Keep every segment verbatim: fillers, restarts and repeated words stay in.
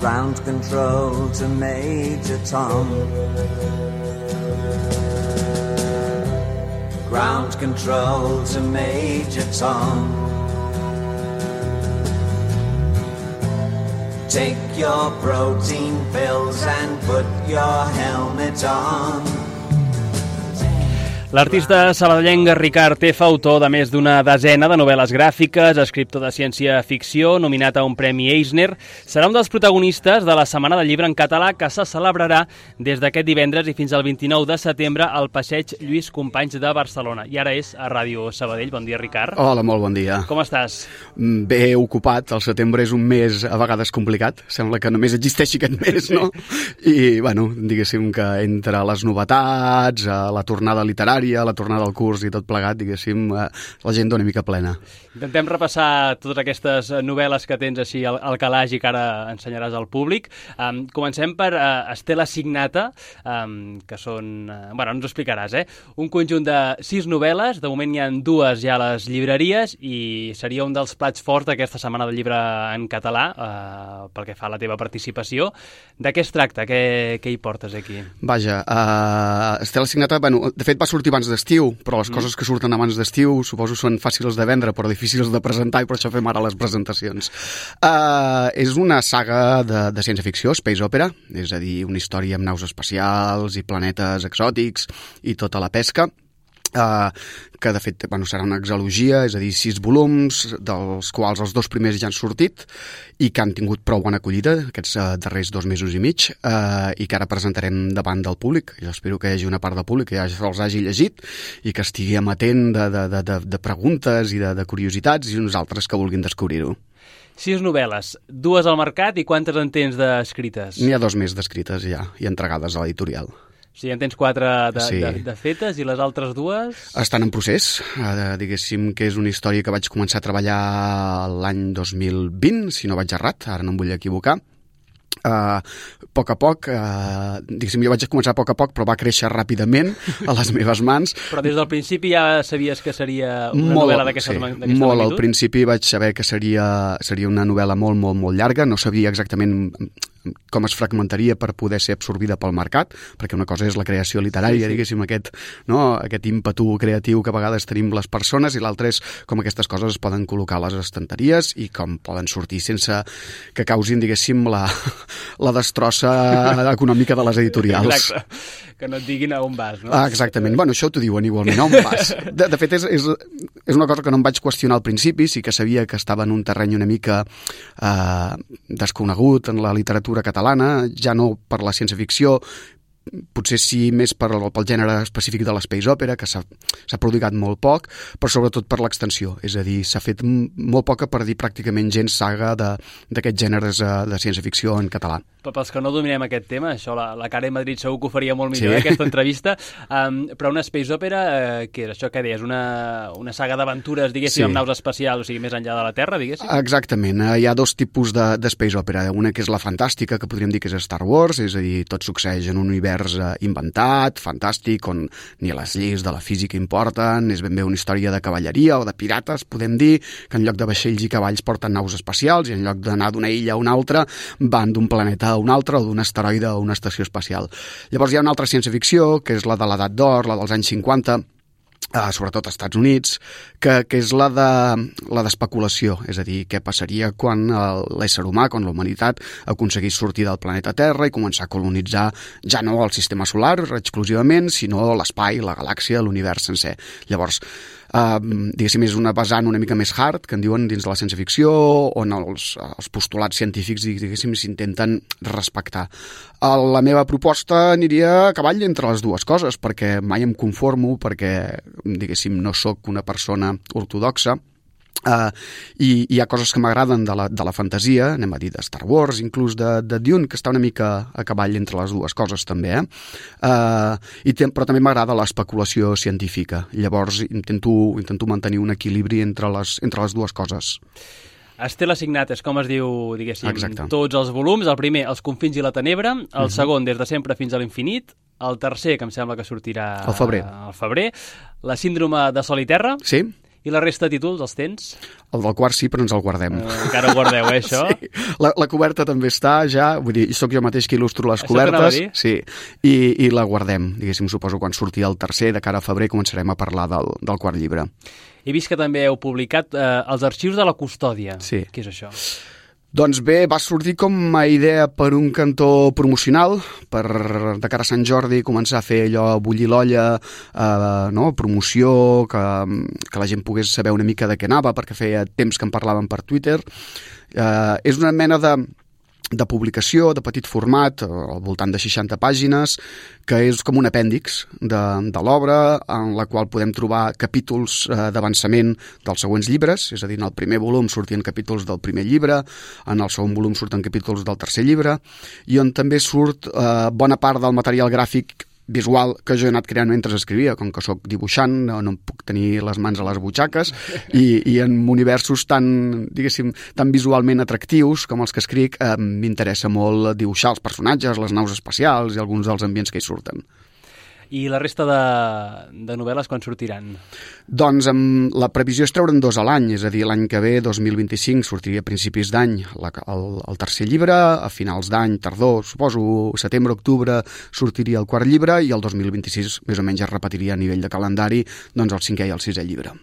Ground control to Major Tom. Ground control to Major Tom. Take your protein pills and put your helmet on. L'artista sabadellenc Ricard Tefa, autor de més d'una desena de novel·les gràfiques, escriptor de ciència-ficció, nominat a un Premi Eisner, serà un dels protagonistes de la Setmana del Llibre en Català que se celebrarà des d'aquest divendres i fins al vint-i-nou de setembre al Passeig Lluís Companys de Barcelona. I ara és a Ràdio Sabadell. Bon dia, Ricard. Hola, molt bon dia. Com estàs? Bé ocupat. El setembre és un mes a vegades complicat. Sembla que només existeixi aquest mes, no? I, bueno, diguéssim que entre les novetats, la tornada literària, la tornada al curs i tot plegat, diguéssim, l'agenda una mica plena. Intentem repassar totes aquestes novel·les que tens així al, al calaix i que ara ensenyaràs al públic. Um, comencem per uh, Estela Signata, um, que són... Uh, bueno, ens ho explicaràs, eh? Un conjunt de sis novel·les, de moment hi ha dues ja a les llibreries i seria un dels plats forts d'aquesta Setmana del Llibre en català, uh, pel que fa a la teva participació. De què es tracta? Què, què hi portes aquí? Vaja, uh, Estela Signata, bueno, de fet va sortir abans d'estiu, però les mm. coses que surten abans d'estiu suposo són fàcils de vendre però difícils de presentar i per això fem ara les presentacions. Uh, és una saga de, de ciència-ficció, space opera, és a dir, una història amb naus espacials i planetes exòtics i tota la pesca. Uh, que de fet bueno, serà una exalogia, és a dir, sis volums, dels quals els dos primers ja han sortit i que han tingut prou bona acollida aquests uh, darrers dos mesos i mig uh, i que ara presentarem davant del públic. Jo espero que hi hagi una part del públic que ja els hagi llegit i que estigui amatent de, de, de, de, de preguntes i de, de curiositats i uns altres que vulguin descobrir-ho. Sis novel·les, dues al mercat i quantes en tens d'escrites? N'hi ha dos més d'escrites ja i entregades a l'editorial. O sigui, en tens quatre de, sí. de, de fetes i les altres dues? Estan en procés. Uh, diguéssim que és una història que vaig començar a treballar l'any dos mil vint, si no vaig errat, ara no em vull equivocar. Uh, a poc a poc, uh, diguéssim, jo vaig començar a poc a poc, però va créixer ràpidament a les meves mans. Però des del principi ja sabies que seria una molt, novel·la d'aquesta sí, magnitud? Molt, al principi vaig saber que seria, seria una novel·la molt, molt, molt llarga, no sabia exactament com es fragmentaria per poder ser absorbida pel mercat, perquè una cosa és la creació literària, sí, sí. diguéssim, aquest, no, aquest ímpetu creatiu que a vegades tenim les persones, i l'altre és com aquestes coses es poden col·locar a les estanteries i com poden sortir sense que causin, diguéssim, la, la destrossa econòmica de les editorials. Exacte, que no et diguin a on vas, no? Ah, exactament, bueno, això t'ho diuen igualment, a on vas? De, de fet, és, és, és una cosa que no em vaig qüestionar al principi, sí que sabia que estava en un terreny una mica eh, desconegut en la literatura catalana, ja no per la ciència-ficció, potser sí més per, pel gènere específic de l'espace opera, que s'ha prodigat molt poc, però sobretot per l'extensió, és a dir, s'ha fet molt poca per dir pràcticament gens saga d'aquests gèneres de ciència-ficció en català. Però pels que no dominem aquest tema, això la, la Karen Madrid segur que ho faria molt millor, sí. eh, aquesta entrevista, um, però una space opera, eh, què és això que deies? Una, una saga d'aventures, diguéssim, sí. amb naus espacials, o sigui, més enllà de la Terra, diguéssim? Exactament, hi ha dos tipus de, de space opera, una que és la fantàstica, que podríem dir que és Star Wars, és a dir, tot succeeix en un univers inventat, fantàstic, on ni les lleis de la física importen, és ben bé una història de cavalleria o de pirates, podem dir, que en lloc de vaixells i cavalls porten naus espacials i en lloc d'anar d'una illa a una altra van d'un planeta a un altre o d'un asteroide a una estació espacial. Llavors hi ha una altra ciència-ficció, que és la de l'edat d'or, la dels anys cinquanta, Uh, sobretot als Estats Units, que, que és la de la d'especulació, és a dir, què passaria quan l'ésser humà, quan la humanitat aconseguís sortir del planeta Terra i començar a colonitzar ja no el sistema solar exclusivament, sinó l'espai, la galàxia, l'univers sencer. Llavors, uh, diguéssim, és una vessant una mica més hard, que en diuen dins de la ciència-ficció, on els, els postulats científics, diguéssim, s'intenten respectar. Uh, la meva proposta aniria a cavall entre les dues coses, perquè mai em conformo, perquè diguéssim, no sóc una persona ortodoxa, uh, i hi ha coses que m'agraden de, la, de la fantasia, anem a dir de Star Wars, inclús de, de Dune, que està una mica a cavall entre les dues coses també, eh? Uh, i te, però també m'agrada l'especulació científica, llavors intento, intento mantenir un equilibri entre les, entre les dues coses. Estela Signates, com es diu, diguéssim, exacte. Tots els volums. El primer, Els confins i la tenebra. El uh-huh. segon, Des de sempre fins a l'infinit. El tercer, que em sembla que sortirà al febrer. al febrer. La síndrome de Sol i Terra. Sí. I la resta de títols, els tens? El del quart sí, però ens el guardem. Uh, encara ho guardeu, eh, això? Sí. La, la coberta també està ja, vull dir, sóc jo mateix que il·lustro les Això cobertes. dir? Sí, i, i la guardem. Diguéssim, suposo quan surti el tercer, de cara a febrer, començarem a parlar del, del quart llibre. He vist que també heu publicat eh, els arxius de la custòdia. Sí. Què és això? Doncs bé, va sortir com a idea per un cantó promocional, per de cara a Sant Jordi començar a fer allò, bullir l'olla, eh, no? promoció, que, que la gent pogués saber una mica de què anava, perquè feia temps que en parlaven per Twitter. Eh, és una mena de... de publicació, de petit format, al voltant de seixanta pàgines, que és com un apèndix de, de l'obra, en la qual podem trobar capítols eh, d'avançament dels següents llibres, és a dir, en el primer volum sortien capítols del primer llibre, en el segon volum surten capítols del tercer llibre, i on també surt eh, bona part del material gràfic visual que jo he anat creant mentre escrivia, com que sóc dibuixant, no, no em puc tenir les mans a les butxaques, i, i en universos tan, diguéssim, tan visualment atractius com els que escric, eh, m'interessa molt dibuixar els personatges, les naus espacials i alguns dels ambients que hi surten. I la resta de, de novel·les quan sortiran? Doncs amb la previsió és treure'n dos a l'any, és a dir, l'any que ve, dos mil vint-i-cinc, sortiria a principis d'any la, el, el tercer llibre, a finals d'any, tardor, suposo, setembre, octubre, sortiria el quart llibre, i el dos mil vint-i-sis més o menys es repetiria a nivell de calendari doncs el cinquè i el sisè llibre.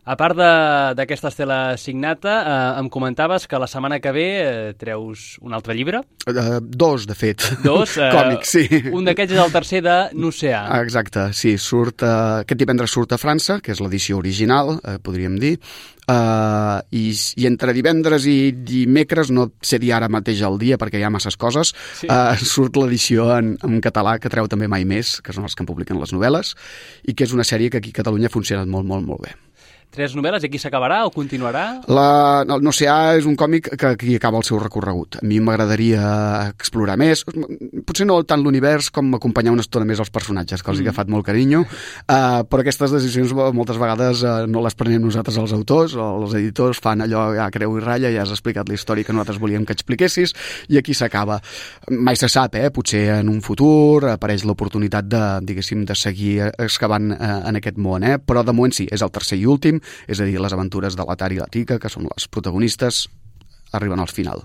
A part d'aquesta estela signata, eh, em comentaves que la setmana que ve eh, treus un altre llibre? Uh, dos, de fet. Dos? Eh, Còmics, sí. Un d'aquests és el tercer de N'Oceà. Exacte, sí. Surt, uh, aquest divendres surt a França, que és l'edició original, uh, podríem dir, uh, i, i entre divendres i dimecres, no sé dir ara mateix el dia perquè hi ha masses coses, sí. uh, surt l'edició en, en català, que treu també Mai Més, que són els que en publiquen les novel·les, i que és una sèrie que aquí a Catalunya ha funcionat molt, molt, molt bé. Tres novel·les, i aquí s'acabarà o continuarà? La, el N'Oceà és un còmic que aquí acaba el seu recorregut. A mi m'agradaria explorar més, potser no tant l'univers com acompanyar una estona més els personatges, que els he agafat molt carinyo, uh, però aquestes decisions moltes vegades uh, no les prenem nosaltres els autors, o els editors fan allò, ja creu i ratlla, ja has explicat la història que nosaltres volíem que expliquessis, i aquí s'acaba. Mai se sap, eh? Potser en un futur apareix l'oportunitat de, diguéssim, de seguir excavant uh, en aquest món, eh? Però de moment sí, és el tercer i últim, és a dir, les aventures de l'Atar i la Tica, que són les protagonistes, arriben al final.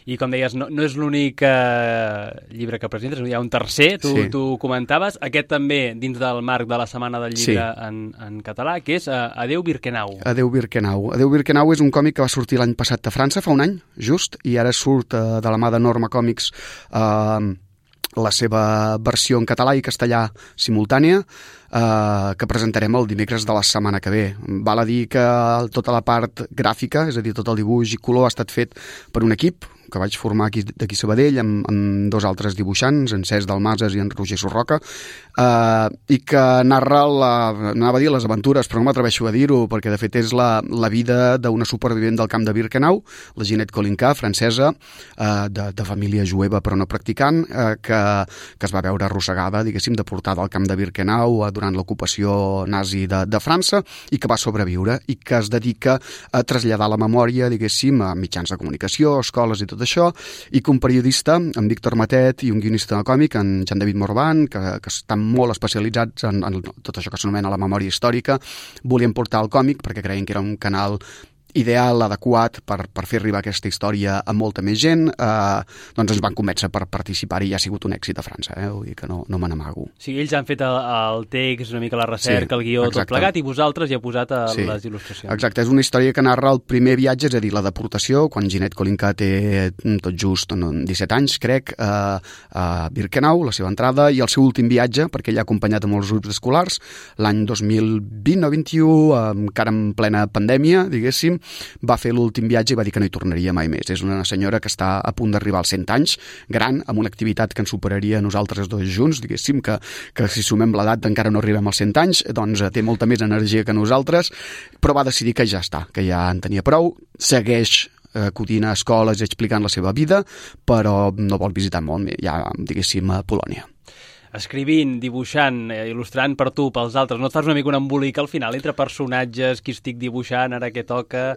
I com deies, no, no és l'únic eh, llibre que presentes, hi ha un tercer, tu, sí. tu comentaves, aquest també dins del marc de la Setmana del Llibre sí. en, en català, que és uh, Adeu Birkenau. Adeu Birkenau. Adeu Birkenau és un còmic que va sortir l'any passat a França, fa un any, just, i ara surt uh, de la mà de Norma Còmics uh, la seva versió en català i castellà simultània, eh, que presentarem el dimecres de la setmana que ve. Val a dir que tota la part gràfica, és a dir, tot el dibuix i color, ha estat fet per un equip que vaig formar aquí d'aquí Sabadell amb, amb dos altres dibuixants, en Cesc Dalmases i en Roger Sorroca, eh, i que narra la, anava a dir les aventures, però no m'atreveixo a dir-ho, perquè de fet és la, la vida d'una supervivent del camp de Birkenau, la Ginette Kolinka, francesa, eh, de, de família jueva però no practicant, eh, que, que es va veure arrossegada, diguéssim, deportada al camp de Birkenau eh, durant l'ocupació nazi de, de França, i que va sobreviure, i que es dedica a traslladar la memòria, diguéssim, a mitjans de comunicació, escoles i tot això, i que un periodista, en Víctor Matet, i un guionista còmic, en Jean-David Morvan, que, que estan molt especialitzats en, en tot això que s'anomena la memòria històrica, volien portar el còmic perquè creien que era un canal ideal, adequat per, per fer arribar aquesta història a molta més gent, eh, doncs ens van convèncer per participar i ja ha sigut un èxit a França, eh? Vull dir que no, no me n'amago. Sí, ells han fet el, el text, una mica la recerca, sí, el guió, exacte. Tot plegat, i vosaltres hi heu posat a sí, les il·lustracions. Exacte, és una història que narra el primer viatge, és a dir, la deportació, quan Ginette Kolinka té tot just disset anys, crec, eh, a Birkenau, la seva entrada, i el seu últim viatge, perquè ell ha acompanyat a molts grups escolars, l'any dos mil vint o vint-i-u, eh, encara en plena pandèmia, diguéssim, va fer l'últim viatge i va dir que no hi tornaria mai més. És una senyora que està a punt d'arribar als cent anys, gran, amb una activitat que ens superaria a nosaltres dos junts, diguéssim, que, que si sumem l'edat encara no arribem als cent anys, doncs té molta més energia que nosaltres, però va decidir que ja està, que ja en tenia prou, segueix acudint a escoles i explicant la seva vida, però no vol visitar molt, ja, diguéssim, a Polònia. Escrivint, dibuixant, eh, il·lustrant per tu, pels altres, no et fas una mica un embolic al final entre personatges, qui estic dibuixant, ara què toca?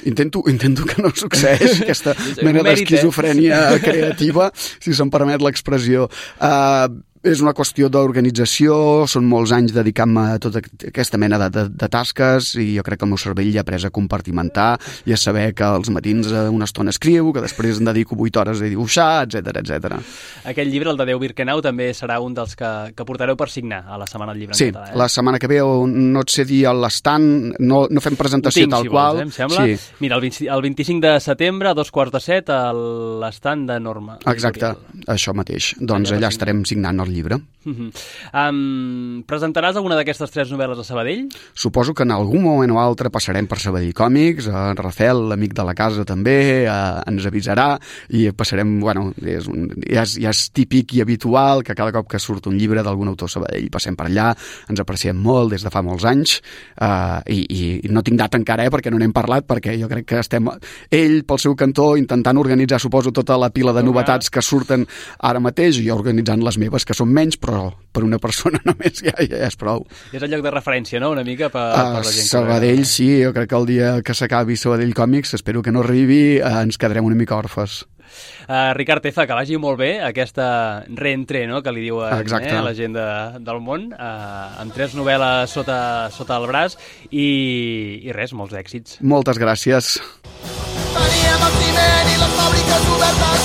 Intento, intento que no succeeix aquesta mena d'esquizofrènia eh? creativa, si se'm permet l'expressió. Uh, és una qüestió d'organització, són molts anys dedicant-me a tota aquesta mena de, de, de tasques i jo crec que el meu cervell ja ha après a compartimentar i a saber que als matins una estona escriu, que després em dedico vuit hores a dibuixar, etcètera, etcètera. Aquest llibre, el de Déu Birkenau, també serà un dels que, que portareu per signar a la Setmana del Llibre en sí, català. Sí, eh? la setmana que ve no et sé dir a l'estand, no, no fem presentació tinc, tal si qual. Vols, eh, em sembla. Sí. Mira, el, vint, el vint-i-cinc de setembre, a dos quarts de set, a l'estand de Norma. Exacte, això mateix. Doncs allà, allà estarem signant el llibre. Uh -huh. um, presentaràs alguna d'aquestes tres novel·les a Sabadell? Suposo que en algun moment o altre passarem per Sabadell Còmics, en Rafel, l'amic de la casa també, eh, ens avisarà i passarem, bueno, és un, ja, és, ja és típic i habitual que cada cop que surt un llibre d'algun autor Sabadell passem per allà, ens apreciem molt des de fa molts anys eh, i, i no tinc data encara, eh, perquè no n'hem parlat, perquè jo crec que estem, ell pel seu cantó intentant organitzar, suposo, tota la pila de novetats que surten ara mateix i jo organitzant les meves, que són menys, però per una persona només ja, ja és prou. És el lloc de referència, no?, una mica per, uh, per la gent. Sabadell, sí, jo crec que el dia que s'acabi Sabadell Còmics, espero que no arribi, uh, ens quedarem una mica orfes. Uh, Ricard Teza, que vagi molt bé aquesta reentré, no?, que li diuen eh, la gent de, del món, uh, amb tres novel·les sota, sota el braç i, i res, molts èxits. Moltes gràcies. Teníem el ciment i les fàbriques obertes